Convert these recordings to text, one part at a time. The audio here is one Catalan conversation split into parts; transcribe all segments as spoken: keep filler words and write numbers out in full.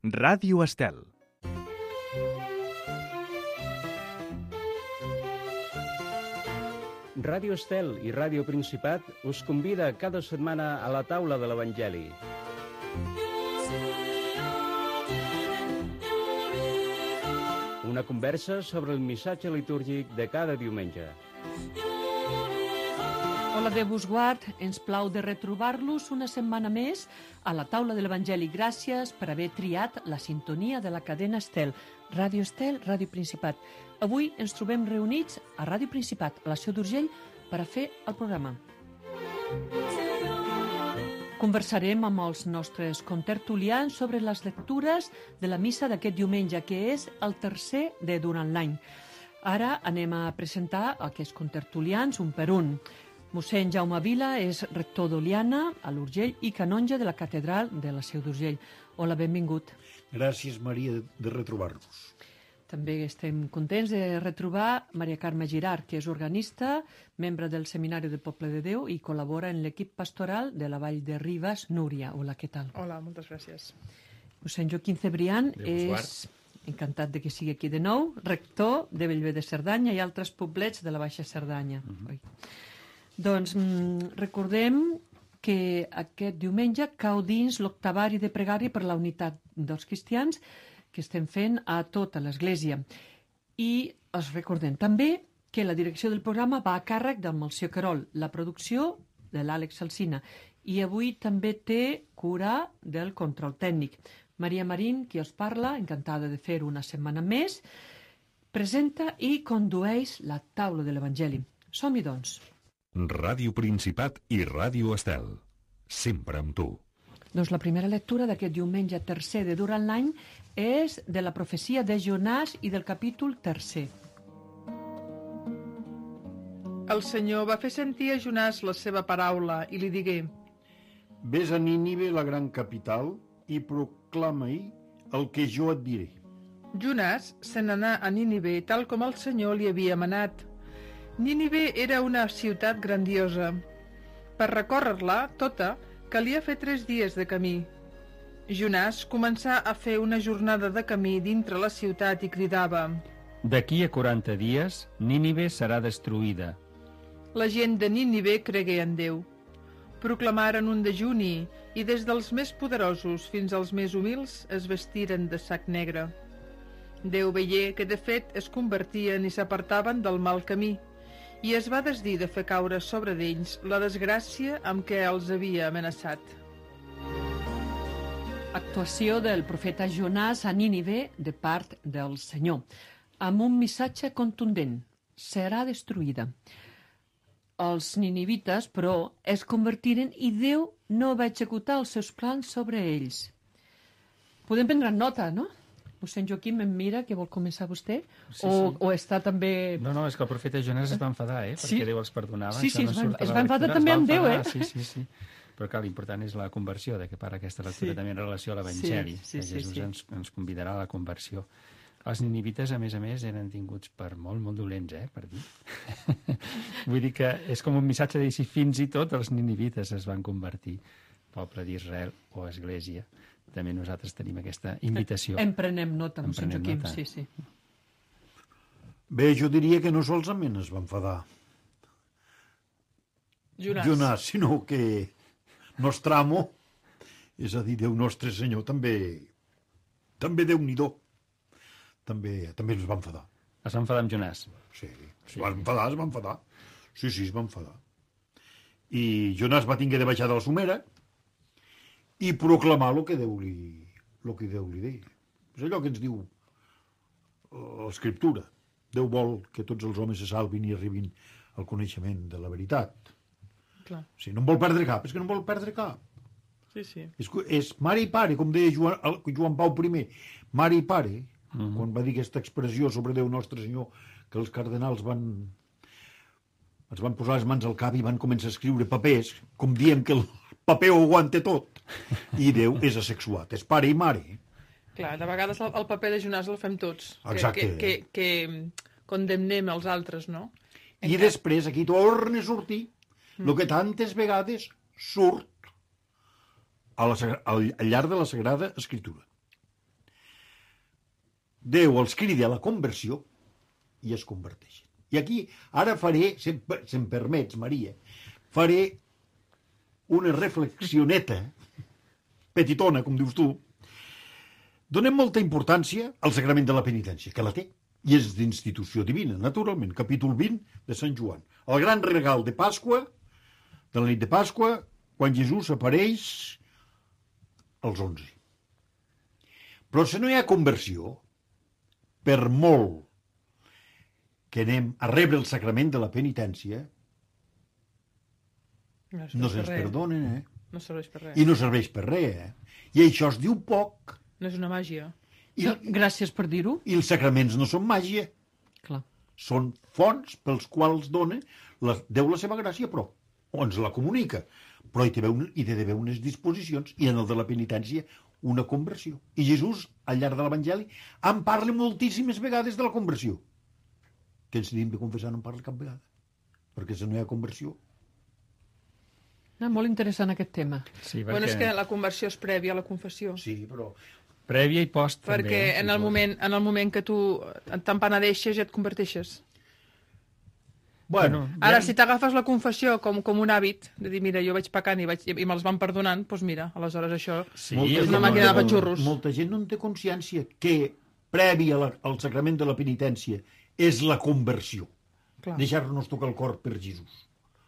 Ràdio Estel. Ràdio Estel i Ràdio Principat us convida cada setmana a la taula de l'Evangeli. Una conversa sobre el missatge litúrgic de cada diumenge. Hola, Déu vos guard. Ens plau de retrobar-los una setmana més a la taula de l'Evangeli. Gràcies per haver triat la sintonia de la cadena Estel. Ràdio Estel, Ràdio Principat. Avui ens trobem reunits a Ràdio Principat, a la Seu d'Urgell, per a fer el programa. Conversarem amb els nostres contertulians sobre les lectures de la missa d'aquest diumenge, que és el tercer de durant l'any. Ara anem a presentar aquests contertulians un per un. Mossèn Jaume Vila és rector d'Oliana, a l'Urgell, i canonge de la catedral de la Seu d'Urgell. Hola, benvingut. Gràcies, Maria, de retrobar-nos. També estem contents de retrobar Maria Carme Girard, que és organista, membre del Seminari del Poble de Déu i col·labora en l'equip pastoral de la Vall de Ribes. Núria, hola, què tal? Hola, moltes gràcies. Mossèn Joaquim Cebrián és, encantat de que sigui aquí de nou, rector de Bellver de Cerdanya i altres poblets de la Baixa Cerdanya. Uh-huh. Doncs mm, recordem que aquest diumenge cau dins l'octavari de pregària per la unitat dels cristians que estem fent a tota l'Església. I us recordem també que la direcció del programa va a càrrec del Melcior Querol, la producció de l'Àlex Alsina, i avui també té cura del control tècnic. Maria Marín, qui us parla, encantada de fer una setmana més, presenta i condueix la taula de l'Evangeli. Som-hi, doncs. Ràdio Principat i Ràdio Estel. Sempre amb tu. Doncs la primera lectura d'aquest diumenge tercer de durant l'any és de la profecia de Jonàs i del capítol tercer. El Senyor va fer sentir a Jonàs la seva paraula i li digué: Ves a Nínive, la gran capital, i proclama-hi el que jo et diré. Jonàs se n'anà a Nínive tal com el Senyor li havia manat. Nínive era una ciutat grandiosa. Per recórrer-la tota, calia fer tres dies de camí. Jonàs començà a fer una jornada de camí dintre la ciutat i cridava: D'aquí a quaranta dies, Nínive serà destruïda. La gent de Nínive cregué en Déu. Proclamaren un dejuni i des dels més poderosos fins als més humils es vestiren de sac negre. Déu veié que de fet es convertien i s'apartaven del mal camí i es va desdir de fer caure sobre d'ells la desgràcia amb què els havia amenaçat. Actuació del profeta Jonàs a Nínive de part del Senyor, amb un missatge contundent: serà destruïda. Els ninivites, però, es convertiren i Déu no va executar els seus plans sobre ells. Podem prendre nota, no? Mossèn Joaquim em mira, que vol començar vostè? Sí, o, sí. o està també... No, no, és que el profeta Jonàs es va enfadar, eh? Sí? Perquè Déu els perdonava. Sí, sí, no es va, surt a es la va enfadar lectura, també es va amb Déu, eh? enfadar, Sí, sí, sí. Però clar, l'important és la conversió, de que para aquesta lectura Sí. també en relació a l'Evangeli, Sí, sí, que sí, Jesús sí. Ens, ens convidarà a la conversió. Els ninivites, a més a més, eren tinguts per molt, molt dolents, eh, per dir. Vull dir que és com un missatge de dir si fins i tot els ninivites es van convertir, poble d'Israel o Església. També nosaltres tenim aquesta invitació. En prenem nota, En mossèn prenem Joaquim, nota. sí, sí. Bé, jo diria que no solament es va enfadar Jonàs. Jonàs, sinó que Nostramo, és a dir, Déu Nostre Senyor, també, també Déu-n'hi-do, també, també es va enfadar. Es va enfadar amb Jonàs. Sí, es va enfadar, es va enfadar. Sí, sí, es va enfadar. I Jonàs va tinguer de baixar de la somera i proclamar el que Déu li, el que Déu li deia. És allò que ens diu l'Escriptura. Déu vol que tots els homes se salvin i arribin al coneixement de la veritat. Clar. Si no en vol perdre cap, és que no en vol perdre cap. Sí, sí. És, és mare i pare, com deia Joan, Joan Pau I, mare i pare, Mm-hmm. quan va dir aquesta expressió sobre Déu Nostre Senyor, que els cardenals van es van posar les mans al cap i van començar a escriure papers, com diem que el paper ho aguanta tot. I Déu és asexuat, és pare i mare. Clar, de vegades el, el paper de Jonàs el fem tots. Exacte. Que, que, que, que condemnem els altres, no? I Encara... després aquí torna a sortir el mm. que tantes vegades surt a la, al, al llarg de la Sagrada Escritura. Déu els crida a la conversió i es converteixen. I aquí, ara faré, si em permets, Maria, faré una reflexioneta, petitona, com dius tu. Donem molta importància al sagrament de la penitència, que la té, i és d'institució divina, naturalment, capítol vint de Sant Joan. El gran regal de Pasqua, de la nit de Pasqua, quan Jesús apareix als onze. Però si no hi ha conversió, per molt que anem a rebre el sacrament de la penitència, No, no se'ns perdonen, eh? No serveix per res. I no serveix per res, eh? I això es diu poc. No és una màgia. I, No, gràcies per dir-ho. I els sacraments no són màgia. Clar. Són fonts pels quals dona la, Déu la seva gràcia, però o ens la comunica. Però hi té d'haver unes disposicions, i en el de la penitència una conversió. I Jesús, al llarg de l'Evangeli, en parla moltíssimes vegades de la conversió. Que ens tenim de confessar no en parla cap vegada. Perquè si no hi ha conversió... Ah, molt interessant aquest tema. Sí, perquè... Bueno, és que la conversió és prèvia a la confessió. Sí, però... Prèvia i post, Perquè també. eh? en el moment, en el moment que tu t'empenedeixes ja et converteixes. Bueno, Ara, si t'agafes la confessió com, com un hàbit, de dir, mira, jo vaig pecant i, vaig, i me'ls van perdonant, doncs mira, aleshores això... Sí, molta és gent una no màquina té- de patxurros. Molta gent no en té consciència que previ a la, al sacrament de la penitència és la conversió. Clar. Deixar-nos tocar el cor per Jesús.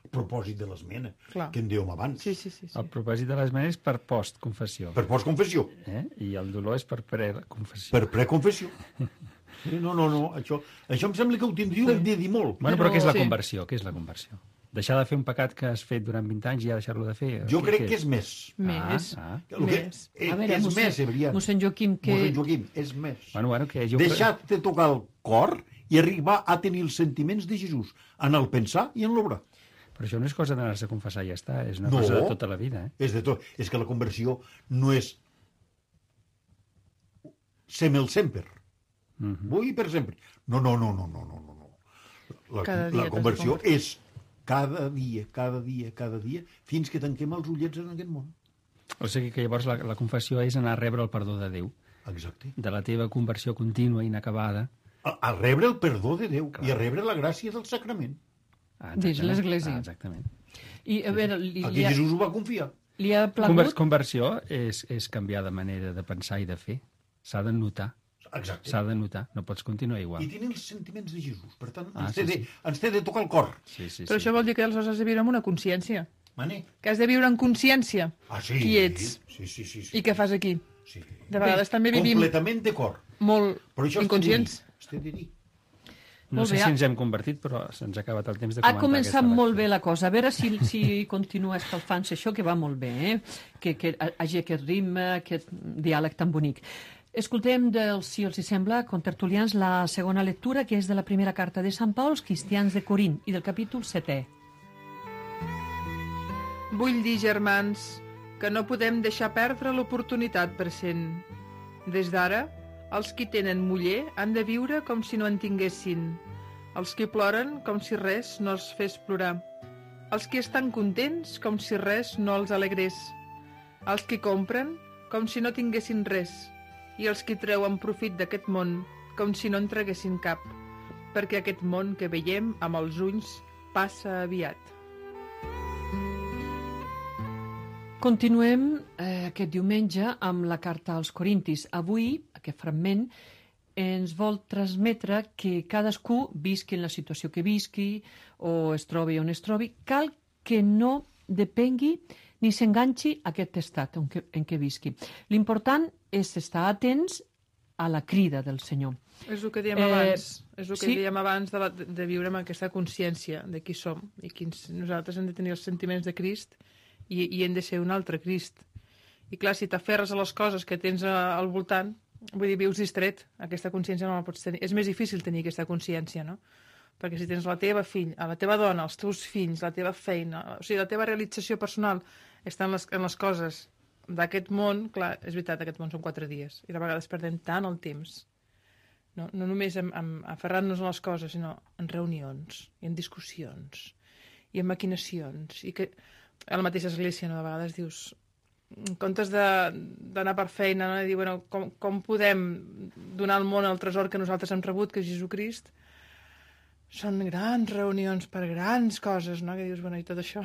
A propòsit de l'esmena, Clar. que en dèiem abans. Sí, sí, sí. sí. El propòsit de l'esmena és per post-confessió. Per postconfessió. Eh? I el dolor és per pre-confessió. Per preconfessió. Sí, no, no, no. Això, això em sembla que ho tindríeu de dir molt. Bueno, però què és la Sí. conversió? Què és la conversió? Deixar de fer un pecat que has fet durant vint anys i ja deixar-lo de fer? Jo Què- crec què que és més. Més. Ah, ah. El que, Més. eh, A veure, és mossèn- més, Ebrián. mossèn Joaquim, que- Mossèn Joaquim, és més. Bueno, bueno, que jo... Deixar-te tocar el cor i arribar a tenir els sentiments de Jesús en el pensar i en l'obrar. Però això no és cosa d'anar-se a confessar i ja està, és una No. cosa de tota la vida. Eh? És de tot. És que la conversió no és semel sempre. Mm -hmm. Vull per sempre. No, no, no, no, no, no, no. La, Cada dia la t'has de conversió convertir. és cada dia, cada dia, cada dia, fins que tanquem els ullets en aquest món. O sigui que llavors la, la confessió és anar a rebre el perdó de Déu, Exacte. de la teva conversió contínua i inacabada. A, a rebre el perdó de Déu Clar. i a rebre la gràcia del sacrament. Ah, Dins exactament. l'Església. Ah, exactament. I, a veure, li, Aquí li, ha, Jesús ho va confiar. li ha Conver plagut... conversió és, és canviar de manera de pensar i de fer. S'ha de notar, Exacte. s'ha de notar. No pots continuar igual. I tenir els sentiments de Jesús. Per tant, Ah, ens, sí, té de, sí. ens té de tocar el cor. Sí, sí, Però sí. això vol dir que aleshores has de viure amb una consciència. Mane? Que has de viure en consciència Ah, sí. qui ets Sí, sí, sí. sí. i què fas aquí. Sí. De vegades també vivim Completament d'acord. molt Però això inconscients. es té de dir. No Molt sé bé, si ha- ens hem convertit, però se'ns ha acabat el temps de Ha comentar començat aquesta molt lectura. bé la cosa. A veure si, si continua escalfant-se això, que va molt bé, eh? que, que hagi aquest ritme, aquest diàleg tan bonic. Escoltem, del, si els hi sembla, contertulians, la segona lectura, que és de la primera carta de Sant Pau als cristians de Corint, i del capítol setè. Vull dir, germans, que no podem deixar perdre l'oportunitat present. Des d'ara, els qui tenen muller han de viure com si no en tinguessin. Els qui ploren com si res no els fes plorar. Els qui estan contents com si res no els alegrés. Els qui compren com si no tinguessin res. I els qui treuen profit d'aquest món com si no en traguessin cap. Perquè aquest món que veiem amb els ulls passa aviat. Continuem eh, aquest diumenge amb la carta als Corintis. Avui, aquest fragment, ens vol transmetre que cadascú visqui en la situació que visqui o es trobi on es trobi, cal que no depengui ni s'enganxi a aquest estat en què, en què visqui. L'important és estar atents a la crida del Senyor. És el que dèiem Eh, abans, és el que sí. dèiem abans de, la, de, de viure amb aquesta consciència de qui som i quins, nosaltres hem de tenir els sentiments de Crist i, i hem de ser un altre Crist. I clar, si t'aferres a les coses que tens a, al voltant, vull dir, vius distret, aquesta consciència no la pots tenir. És més difícil tenir aquesta consciència, no? Perquè si tens la teva fill, a la teva dona, els teus fills, la teva feina, o sigui, la teva realització personal està en les, en les coses d'aquest món, clar, és veritat, aquest món són quatre dies, i de vegades perdem tant el temps. No, no només en, en aferrant-nos a les coses, sinó en reunions, i en discussions, i en maquinacions, i que a la mateixa església, no, de vegades dius, en comptes d'anar per feina, no? I dir, bueno, com, com podem donar al món el tresor que nosaltres hem rebut, que és Jesucrist, són grans reunions per grans coses, no? Que dius, bueno, i tot això,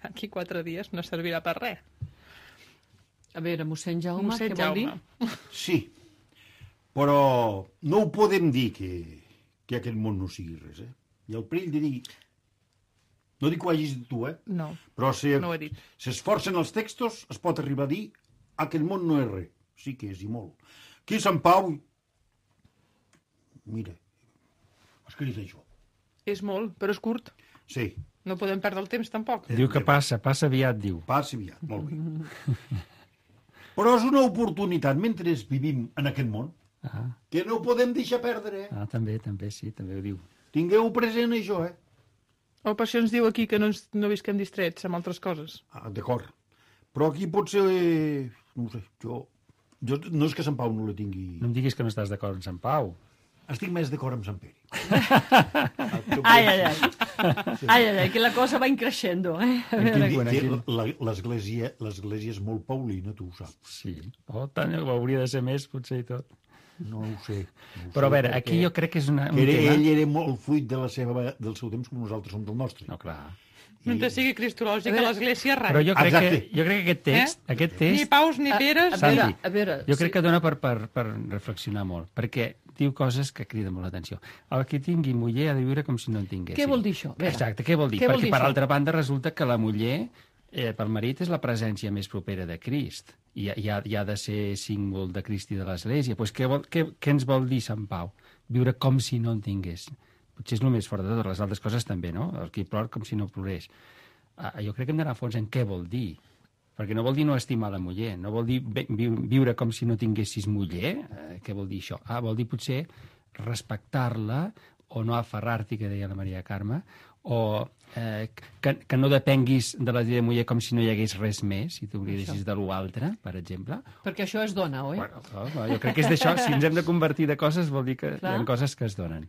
aquí quatre dies no servirà per res. A veure, mossèn Jaume, Mossèn què vol dir? Jaume. Sí, però no ho podem dir que, que aquest món no sigui res, eh? I el perill de dir... No dic que ho hagis dit tu, eh? No, Però si no ho he dit. s'esforcen els textos, es pot arribar a dir aquest món no és res. Sí que és, i molt. Aquí a Sant Pau... Mira, ha escrit això. És molt, però és curt. Sí, No podem perdre el temps, tampoc. Diu que passa, passa aviat, diu. passi aviat, molt bé. Però és una oportunitat, mentre vivim en aquest món, Ah, que no podem deixar perdre, eh? ah, també, també, sí, també ho diu. Tingueu present això, eh? El Passió ens diu aquí que no, ens, no visquem distrets amb altres coses. Ah, d'acord. Però aquí pot ser... Eh, no ho sé, jo, jo... No és que Sant Pau no la tingui... No em diguis que no estàs d'acord amb Sant Pau. Estic més d'acord amb Sant Pere. Ai, ai, ai. Ai, ai, ai, que la cosa va increixendo, eh? A Aquí, veure, Bueno, aquí- que la- l'església l'església és molt paulina, tu ho saps. Sí. Oh, tant, hauria de ser més, potser i tot. No ho sé. No ho Però a sé, veure, perquè aquí jo crec que és una, un Era, tema... ell era molt fruit de la seva, del seu temps com nosaltres som del nostre. No, clar. Mentre sigui cristològic a l'Església, rai. Però jo crec, que, Exacte. jo crec que aquest text, Eh? aquest Ni text paus ni a, peres. a veure, Santi, a veure... jo crec sí. que dona per, per, per reflexionar molt, perquè diu coses que criden molt l'atenció. El que tingui muller ha de viure com si no en tingués. Què vol dir això? A veure, Exacte, què vol dir? què vol perquè, dir per això? altra banda, resulta que la muller, eh, pel marit, és la presència més propera de Crist. I, i, ha, i ha de ser símbol de Crist i de l'Església. Pues què, vol, què, què ens vol dir Sant Pau? Viure com si no en tingués. Potser és el més fort de tot, les altres coses també, no? El que plor com si no plorés. Ah, jo crec que hem d'anar a fons en què vol dir. Perquè no vol dir no estimar la muller, no vol dir viure com si no tinguessis muller. Eh, què vol dir això? Ah, vol dir potser respectar-la o no aferrar-t'hi, que deia la Maria Carme, o eh, que, que no depenguis de la teva muller com si no hi hagués res més, si tu oblidessis de l'altre, per exemple. Perquè això és dona, oi? Bueno, clar, jo crec que és d'això. Si ens hem de convertir de coses, vol dir que Clar. hi ha coses que es donen.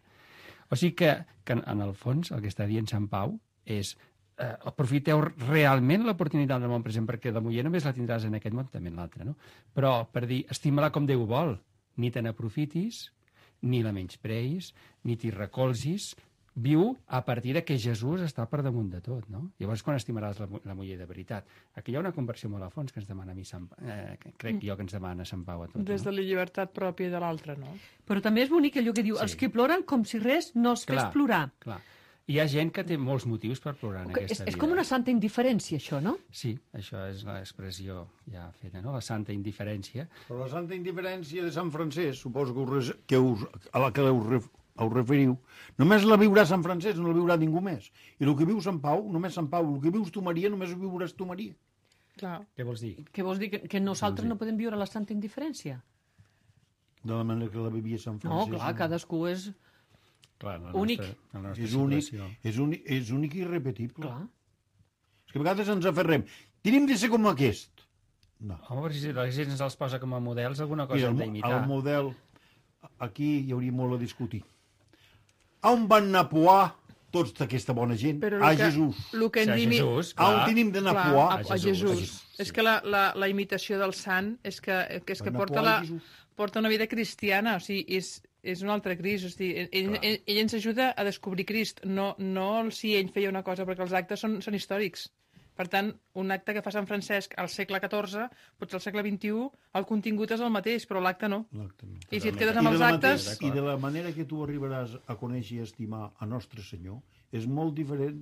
O sigui que, que, en el fons, el que està dient Sant Pau és eh, aprofiteu realment l'oportunitat del món present, perquè la muller només la tindràs en aquest món, també en l'altre, no? Però per dir, estima-la com Déu vol, ni te n'aprofitis, ni la menyspreïs, ni t'hi recolzis, viu a partir de que Jesús està per damunt de tot, no? Llavors, quan estimaràs la, la muller de veritat? Aquí hi ha una conversió molt a fons que ens demana a mi, Sant, eh, que crec jo que ens demana Sant Pau a tots. Des de no? la llibertat pròpia de l'altre, no? Però també és bonic allò que diu, Sí. els que ploren com si res no els fes Clar, plorar. Clar. Hi ha gent que té molts motius per plorar en Que aquesta és, és vida. com una santa indiferència, això, no? Sí, això és l'expressió ja feta, no? La santa indiferència. Però la santa indiferència de Sant Francesc, suposo que us, que us, a la que us, ref, us referiu, només la viurà Sant Francesc, no la viurà ningú més. I el que viu Sant Pau, només Sant Pau. El que vius tu, Maria, només ho viuràs tu, Maria. Clar. Què vols dir? Què vols dir? Que, que nosaltres no podem viure la santa indiferència? De la manera que la vivia Sant No, Francesc. clar, cadascú és... Clar, la Únic. Nostra, la nostra És únic, situació. és, únic, és únic i irrepetible. Clar. És que a vegades ens aferrem. Tenim de ser com aquest. No. Home, però si la gent ens els posa com a models, alguna cosa Mira, hem el, d'imitar. el model, aquí hi hauria molt a discutir. On van anar a poar tots d'aquesta bona gent? Però A el que, Jesús. el que Sí, en a dim... Jesús, A on clar. tenim d'anar a Clar, poar? a, a Jesús. A Jesús, sí. És que la, la, la imitació del sant és que, que, és que Van a porta, poar la, a Jesús. porta una vida cristiana, o sigui, és, és un altre Crist. O sigui, ell, ell, ell ens ajuda a descobrir Crist, no, no el si ell feia una cosa, perquè els actes són, són històrics. Per tant, un acte que fa Sant Francesc al segle catorze, potser al segle vint-i-u, el contingut és el mateix, però l'acte no. L'acte no. I si et Totalment. quedes I amb de, els la actes... mateix, I de la manera que tu arribaràs a conèixer i estimar a Nostre Senyor és molt diferent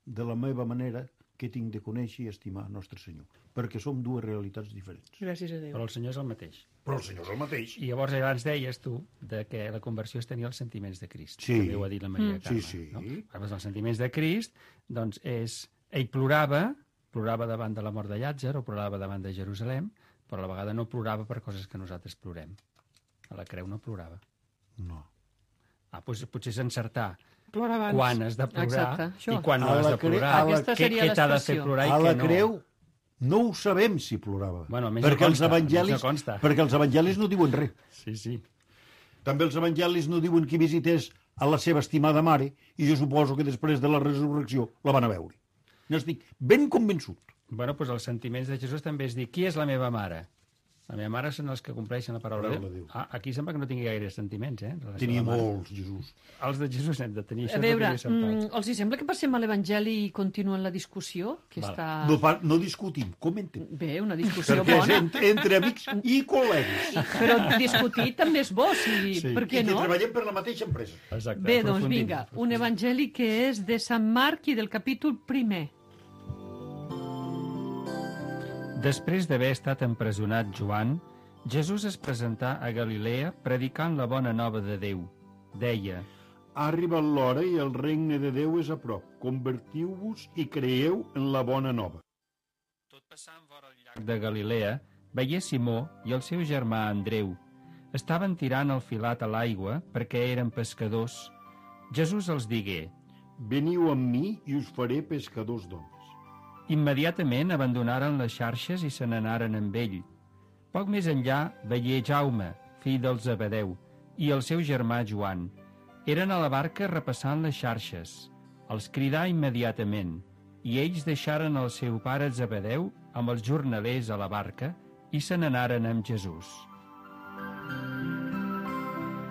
de la meva manera que tinc de conèixer i estimar a Nostre Senyor, perquè som dues realitats diferents. Gràcies a Déu. Però el Senyor és el mateix. Però el Senyor és el mateix. I llavors abans deies tu de que la conversió és tenir els sentiments de Crist. Sí. També ho ha dit la Maria Mm. Carme. Sí, sí. No? Llavors, els sentiments de Crist, doncs, és... Ell plorava, plorava davant de la mort de Llàtzer o plorava davant de Jerusalem, però a la vegada no plorava per coses que nosaltres plorem. A la creu no plorava. No. Ah, doncs potser és encertar Plora abans. quan has de plorar Exacte, això. i quan no A has la de cre- plorar. a la- Aquesta Què, seria què t'ha de fer l'expressió. plorar i A la què no? creu no ho sabem si plorava. Bueno, almenys no perquè, els consta, evangelis, almenys no consta. perquè els evangelis no diuen res. Sí, sí. També els evangelis no diuen que visités a la seva estimada mare i jo suposo que després de la resurrecció la van a veure. N'estic ben convençut. Bueno, doncs els sentiments de Jesús també és dir, qui és la meva mare? La meva mare són els que compleixen la paraula de Paraula de Déu. Déu. Ah, aquí sembla que no tingui gaire sentiments, eh? en relació Tenia a la mare. molts, Jesús. Els de Jesús n'hem de tenir. A Això veure, és el que mm, els hi sembla que passem a l'Evangeli i continuen la discussió? Que Val. està... No, pa- no discutim, comentem. Bé, una discussió Perquè és bona, entre, entre amics i col·legues. però discutir també és bo, si... Sí. per què I que no? treballem per la mateixa empresa. Exacte, Bé, doncs aprofundim, vinga, un aprofundim. evangeli que és de Sant Marc i del capítol primer. Després d'haver estat empresonat Joan, Jesús es presentà a Galilea predicant la bona nova de Déu. Deia, Ha arribat l'hora i el regne de Déu és a prop. Convertiu-vos i creieu en la bona nova. tot passant vora el llac de Galilea, veié Simó i el seu germà Andreu. Estaven tirant el filat a l'aigua perquè eren pescadors. Jesús els digué, Veniu amb mi i us faré pescadors d'homes. immediatament abandonaren les xarxes i se n'anaren amb ell. Poc més enllà veié Jaume, fill del Zebedeu, i el seu germà Joan. Eren a la barca repassant les xarxes. Els cridà immediatament, i ells deixaren el seu pare Zebedeu amb els jornalers a la barca i se n'anaren amb Jesús.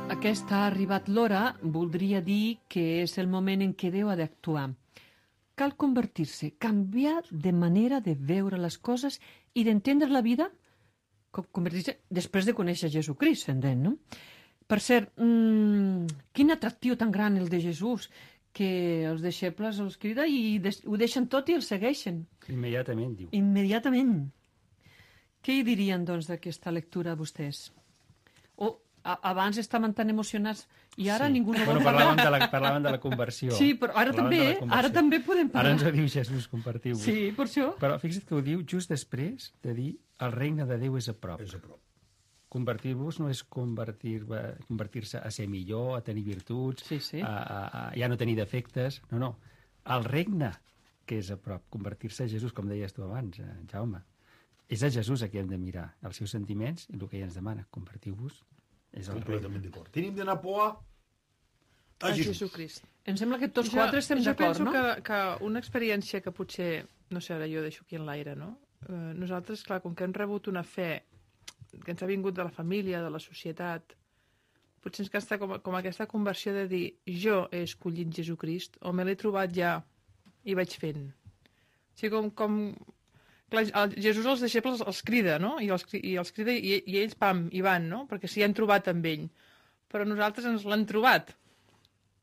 Aquesta ha arribat l'hora, voldria dir que és el moment en què Déu ha d'actuar. Cal convertir-se, canviar de manera de veure les coses i d'entendre la vida, com convertir-se després de conèixer Jesucrist, s'entén, no? Per cert, mmm, quin atractiu tan gran el de Jesús, que els deixebles els crida i des ho deixen tot i el segueixen, Immediatament, diu. immediatament. Què hi dirien, doncs, d'aquesta lectura vostès? O a abans estaven tan emocionats i ara Sí. ningú no bueno, vol parlar. parlàvem de, la, parlàvem de la conversió. Sí, però ara Parlàvem també, de la eh? conversió. Ara també podem Ara ens parlar. ho diu Jesús, compartiu-vos. Sí, per això. Però fixa't que ho diu just després de dir el regne de Déu és a prop. És a prop. Convertir-vos no és convertir- convertir-se a ser millor, a tenir virtuts, Sí, sí. A, a, a ja no tenir defectes. No, no. El regne que és a prop. Convertir-se a Jesús, com deies tu abans, eh, Jaume. És a Jesús a qui hem de mirar, els seus sentiments i el que ell ens demana. Convertiu-vos. És el regne. Completament d'acord. Tenim d'anar a poar a A Jesús. Jesucrist. Em sembla que tots Jo- quatre estem d'acord, Jo no? penso que, que una experiència que potser, no sé, ara jo deixo aquí en l'aire, no? Eh, nosaltres, clar, com que hem rebut una fe que ens ha vingut de la família, de la societat, potser ens gasta com, com aquesta conversió de dir jo he escollit Jesucrist o me l'he trobat ja i vaig fent. O sigui, com... com clar, el, Jesús als deixebles els crida, no? I els, cri- i els crida i, i ells, pam, hi van, no? Perquè s'hi han trobat amb ell. Però nosaltres ens l'han trobat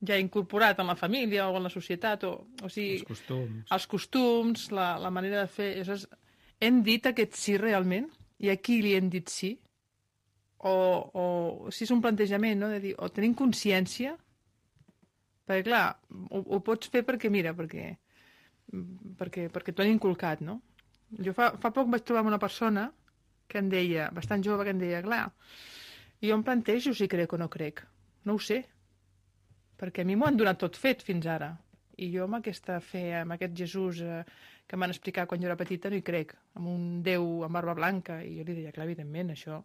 ja incorporat en la família o en la societat, o, o sigui, Els costums. els costums, la, la manera de fer... Aleshores, hem dit aquest sí realment? I a qui li hem dit sí? O, o si és un plantejament, no? De dir, o tenim consciència, perquè clar, ho, ho pots fer perquè, mira, perquè, perquè, perquè t'ho han inculcat, no? Jo fa, fa poc vaig trobar amb una persona que em deia, bastant jove, que em deia, clar, jo em plantejo si crec o no crec. No ho sé, perquè a mi m'ho han donat tot fet fins ara. I jo amb aquesta fe, amb aquest Jesús eh, que m'han explicat quan jo era petita, no hi crec. Amb un Déu amb barba blanca. I jo li deia, clar, evidentment, això...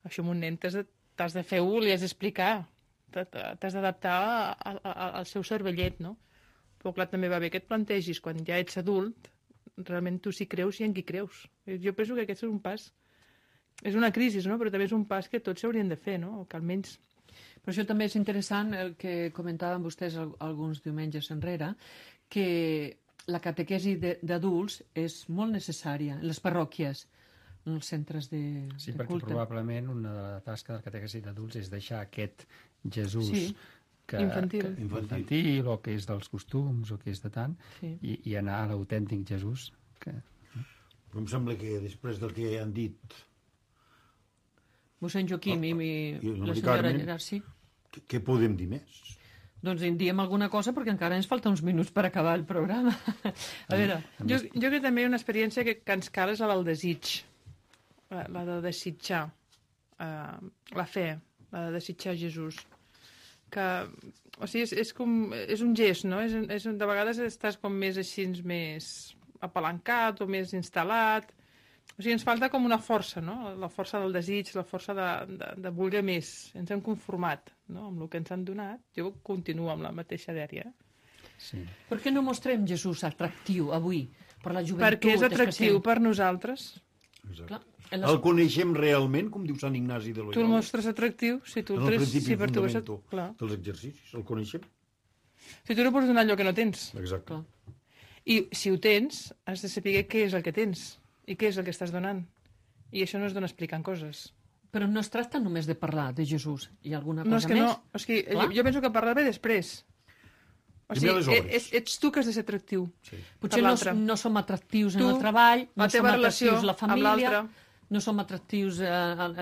això amb un nen t'has de, t'has de fer-ho, li has d'explicar. T'has d'adaptar a- a- a- al seu cervellet, no? Però clar, també va bé que et plantegis, quan ja ets adult, realment tu sí creus i en qui creus. Jo penso que aquest és un pas... És una crisi, no? Però també és un pas que tots s'haurien de fer, no? O que almenys... Per això també és interessant el que comentaven vostès al- alguns diumenges enrere, que la catequesi de- d'adults és molt necessària en les parròquies, en els centres de, Sí, de perquè culte. probablement una de la tasca del catequesi d'adults és deixar aquest Jesús Sí. que, Infantil. que, infantil o que és dels costums o que és de tant Sí. i, i anar a l'autèntic Jesús que... Però em sembla que després del que han dit, Mossèn Joaquim i, i, I el la Mari senyora Carmen. Gerard, sí. què, què podem dir més? Doncs en diem alguna cosa perquè encara ens falta uns minuts per acabar el programa. A veure, Jo, jo crec que també una experiència que, que ens cal és la del desig, la, la de desitjar, uh, la fe, la de desitjar Jesús. Que, o sigui, és, és, com, és un gest, no? És, és, de vegades estàs com més així, més apalancat o més instal·lat. O sigui, ens falta com una força, no? La força del desig, la força de, de, de voler més. Ens hem conformat, no? Amb el que ens han donat. Jo continuo amb la mateixa dèria. Sí. per què no mostrem Jesús atractiu avui? per la joventut. Perquè és atractiu especial. per nosaltres. Clar, El les... coneixem realment, com diu Sant Ignasi de Tu el Loyola. mostres atractiu, si tu el En el tres... principi Si per tu és... fundamento Clar. dels exercicis, el coneixem. Si tu no pots donar allò que no tens. Exacte. Clar. I si ho tens, has de saber què és el que tens i què és el que estàs donant. I això no es dona explicant coses. Però no es tracta només de parlar de Jesús. Hi ha alguna cosa No, és que més? no... És que jo, Clar. jo penso que parlar ve després. O Primer les sigui, obres. ets, ets tu que has de ser atractiu. Sí. Potser per no, l'altre. no som atractius Tu, en el treball, no la som teva relació atractius a la amb família, l'altre. no som atractius eh,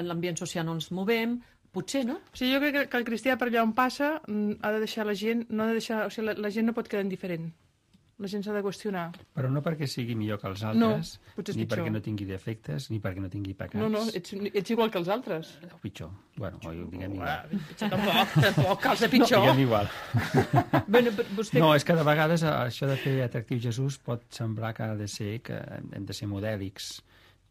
en l'ambient social on ens movem. Potser, no? O sigui, jo crec que, que el cristià per allà on passa mm, ha de deixar la gent... No ha de deixar, o sigui, la, la gent no pot quedar indiferent. La gent s'ha de qüestionar. Però no perquè sigui millor que els No, altres, potser és ni pitjor. perquè no tingui defectes, ni perquè no tingui pecats. No, no, ets, ets igual que els altres. O pitjor. Bueno, o diguem Ah, igual. pitjor tampoc, tampoc cal ser pitjor. Diguem igual. Bueno, vostè... No, és que de vegades eh, això de fer atractiu Jesús pot semblar que ha de ser que hem de ser modèlics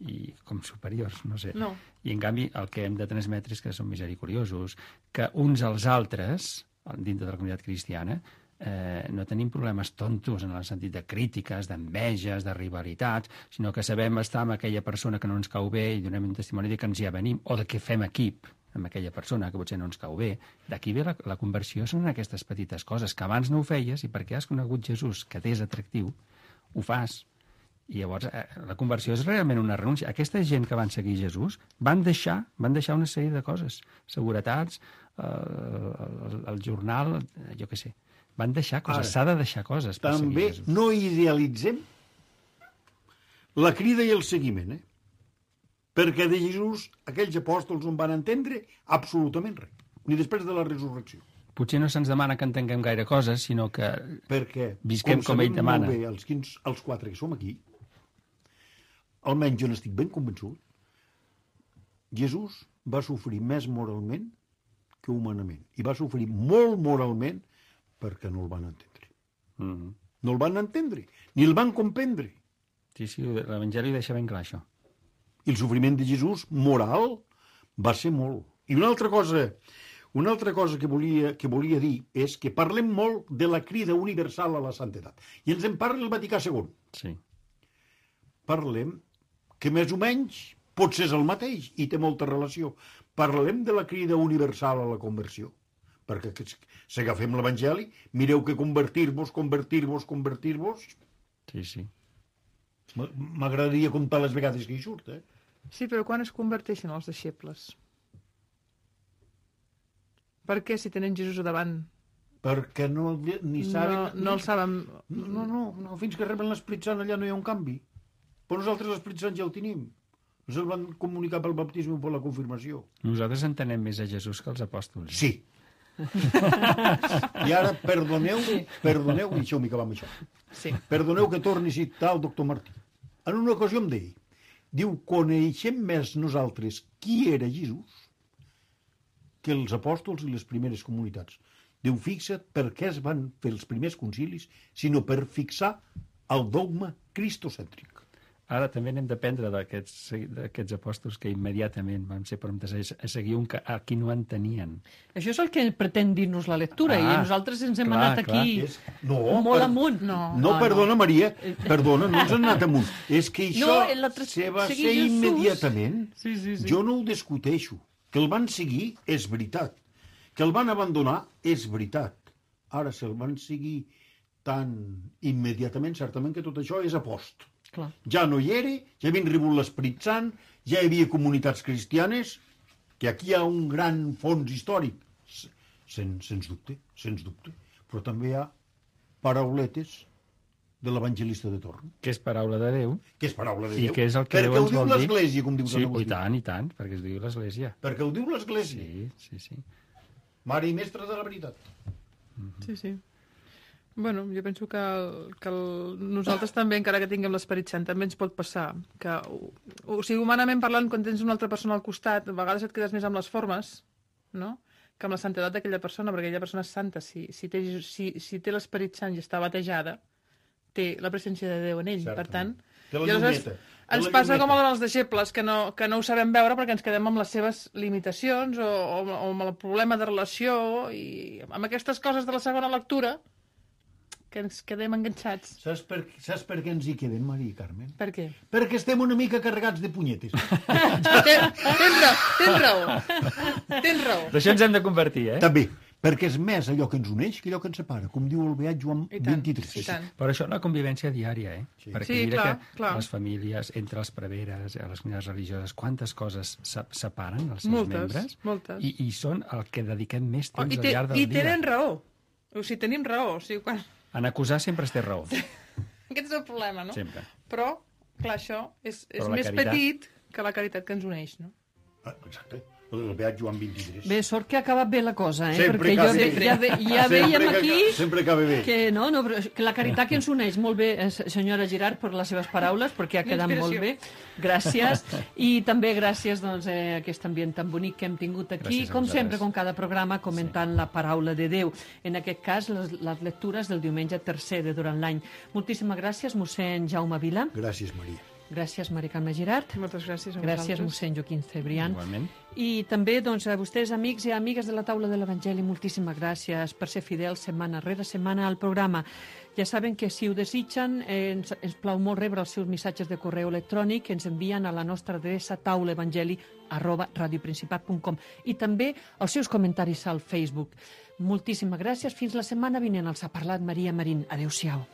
i com superiors, no sé. No. I en canvi el que hem de transmetre és que som misericordiosos, que uns als altres, dintre de la comunitat cristiana, eh, no tenim problemes tontos en el sentit de crítiques, d'enveges, de rivalitats, sinó que sabem estar amb aquella persona que no ens cau bé i donem un testimoni de que ens hi avenim, o de que fem equip amb aquella persona que potser no ens cau bé. D'aquí ve la, la conversió, són aquestes petites coses que abans no ho feies i perquè has conegut Jesús, que t'és atractiu, ho fas. I llavors eh, la conversió és realment una renúncia. Aquesta gent que van seguir Jesús van deixar, van deixar una sèrie de coses, seguretats, eh, el, el jornal, eh, jo què sé. Van deixar coses, s'ha de deixar coses per També seguir Jesús. no idealitzem la crida i el seguiment, eh? Perquè de Jesús aquells apòstols on van entendre absolutament res, ni després de la resurrecció. Potser no se'ns demana que entenguem gaire coses, sinó que Perquè, visquem com, ell sabem demana. molt bé els, quins, els quatre que som aquí, almenys jo n'estic ben convençut, Jesús va sofrir més moralment que humanament. I va sofrir molt moralment perquè no el van entendre. Mm -hmm. No el van entendre, ni el van comprendre. Sí, sí, l'Evangeli deixa ben clar això. I el sofriment de Jesús, moral, va ser molt. I una altra cosa, una altra cosa que volia, que volia dir és que parlem molt de la crida universal a la santedat. I ens en parla el Vaticà segon. Sí. Parlem que més o menys potser és el mateix i té molta relació. Parlem de la crida universal a la conversió. Perquè si agafem l'Evangeli, mireu que convertir-vos, convertir-vos, convertir-vos... Sí, sí. M'agradaria comptar les vegades que hi surt, eh? Sí, però quan es converteixen els deixebles? Per què si tenen Jesús a davant? Perquè no ni saben... No, no el saben... No, no, no, fins que reben l'Esprit Sant allà no hi ha un canvi. Però nosaltres l'Esprit Sant ja el tenim. Ens el van comunicar pel baptisme o per la confirmació. Nosaltres entenem més a Jesús que els apòstols. Sí. I ara, perdoneu, perdoneu, i deixeu-m'hi acabar amb això. Sí. Perdoneu que torni a citar el doctor Martí. En una ocasió em deia, diu, coneixem més nosaltres qui era Jesús que els apòstols i les primeres comunitats. Diu, fixa't per què es van fer els primers concilis, sinó per fixar el dogma cristocèntric. Ara també n'hem d'aprendre d'aquests apòstols que immediatament van ser promptes a seguir un que, a qui no en tenien. Això és el que pretén dir-nos la lectura, Ah, i nosaltres ens hem clar, anat clar. aquí És... No, molt per- amunt. No. No, Ah, perdona, Maria, perdona, no ens hem anat amunt. És que això No, en la tra- se va seguir ser Jesús. immediatament. Sí, sí, sí. Jo no ho discuteixo. Que el van seguir és veritat. Que el van abandonar és veritat. Ara, si el van seguir tan immediatament, certament que tot això és a post. Clar. Ja no hi era, ja havien rebut l'Esperit Sant, ja hi havia comunitats cristianes, que aquí hi ha un gran fons històric, sens, sens dubte, sens dubte. Però també hi ha parauletes de l'evangelista de torn, Que és paraula de Déu, que és paraula de i Déu. que és el que perquè Déu ho ens diu vol dir. l'Església, com diu Sí, Sant i Agustí. tant, i tant, perquè es diu l'Església. Perquè ho diu l'Església. Sí, sí, sí. Mare i mestra de la veritat. Sí, sí. Bueno, jo penso que, el, que el, nosaltres també, encara que tinguem l'Esperit Sant, també ens pot passar que, o, o sigui, humanament parlant, quan tens una altra persona al costat, a vegades et quedes més amb les formes, no?, que amb la santedat d'aquella persona, perquè aquella persona és santa. Si, si té, si, si té l'Esperit Sant i està batejada, té la presència de Déu en ell. Certament. Per tant, Té la i aleshores llumeta. Té ens la passa llumeta. com amb els deixebles, que no, que no ho sabem veure perquè ens quedem amb les seves limitacions o, o, o amb el problema de relació, i amb aquestes coses de la segona lectura que ens quedem enganxats. Saps per, saps per què ens hi quedem, Maria Carmen? Per què? Perquè estem una mica carregats de punyetes. Ten, tens raó, tens raó. Tens raó. D'això ens hem de convertir, eh? També, perquè és més allò que ens uneix que allò que ens separa, com diu el beat Joan I tant, vint-i-tres. i tant. Per això la convivència diària, eh? Sí. Perquè Sí, mira clar, que clar. les famílies, entre els preveres, les comunitats religioses, quantes coses se separen els seus Moltes, membres moltes. I, i són el que dediquem més Oh, temps I, al te, llarg del I dia. tenen raó. O sigui, tenim raó. O sigui, quan... En acusar sempre es té raó. Aquest és el problema, no? Sempre. Però, clar, això és, és Però la més caritat- petit que la caritat que ens uneix, no? Ah, exacte, el beat Joan vint-i-tres. Bé, sort que ha acabat bé la cosa, eh? Sempre Perquè jo acaba ve, bé. ja, ve, ja Sempre veiem que- aquí Sempre acaba bé. que, no, no, però que la caritat que ens uneix. Molt bé, eh, senyora Girard, per les seves paraules, perquè ha quedat molt bé. Gràcies. I també gràcies doncs, a aquest ambient tan bonic que hem tingut aquí, Gràcies a com vosaltres. sempre, com cada programa, comentant sí. la paraula de Déu. En aquest cas, les, les lectures del diumenge tercer de durant l'any. Moltíssimes gràcies, mossèn Jaume Vila. Gràcies, Maria. Gràcies, Mari Carme Girard. Moltes gràcies a Gràcies, vosaltres. mossèn Joaquim Cebrián. Igualment. I també doncs, a vostès, amics i amigues de la taula de l'Evangeli, moltíssimes gràcies per ser fidels setmana rere setmana al programa. Ja saben que si ho desitgen, eh, ens, ens plau molt rebre els seus missatges de correu electrònic que ens envien a la nostra adreça taulaevangeli arroba radioprincipat punt com i també els seus comentaris al Facebook. Moltíssimes gràcies. Fins la setmana vinent. Els ha parlat Maria Marín. Adéu-siau.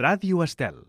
Ràdio Estel.